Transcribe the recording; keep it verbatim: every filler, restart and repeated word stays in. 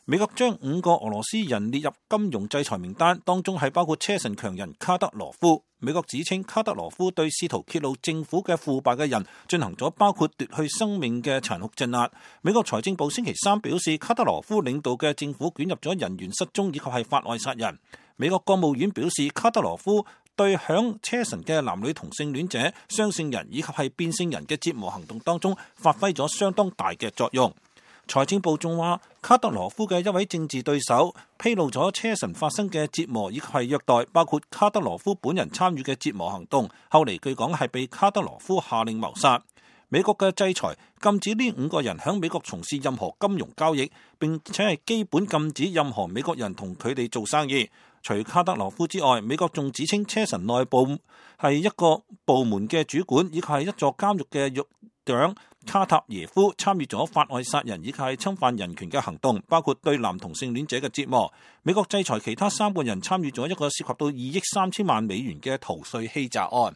美國將五個俄羅斯人列入金融制裁名單，當中係包括車臣強人卡德羅夫。美國指稱卡德羅夫對試圖揭露政府嘅腐敗嘅人進行咗包括奪去生命嘅殘酷鎮壓。美國財政部星期三表示，卡德羅夫領導嘅政府捲入咗人員失蹤以及係法外殺人。美國國務院表示，卡德羅夫對響車臣嘅男女同性戀者、雙性人以及係變性人嘅折磨行動當中發揮咗相當大嘅作用。財政部仲話，卡德羅夫嘅一位政治對手披露咗車臣發生嘅折磨以及係虐待，包括卡德羅夫本人參與嘅折磨行動，後嚟據講係被卡德羅夫下令謀殺。美國嘅制裁禁止呢五個人喺美國從事任何金融交易，並且係基本禁止任何美國人同佢哋做生意。除卡德羅夫之外，美國仲指稱車臣內部係一個部門嘅主管以及係一座監獄嘅獄長卡塔耶夫參與咗法外殺人以及係侵犯人權嘅行動，包括對男同性戀者嘅折磨。美國制裁其他三個人參與咗一個涉及到二億三千萬美元嘅逃稅欺詐案。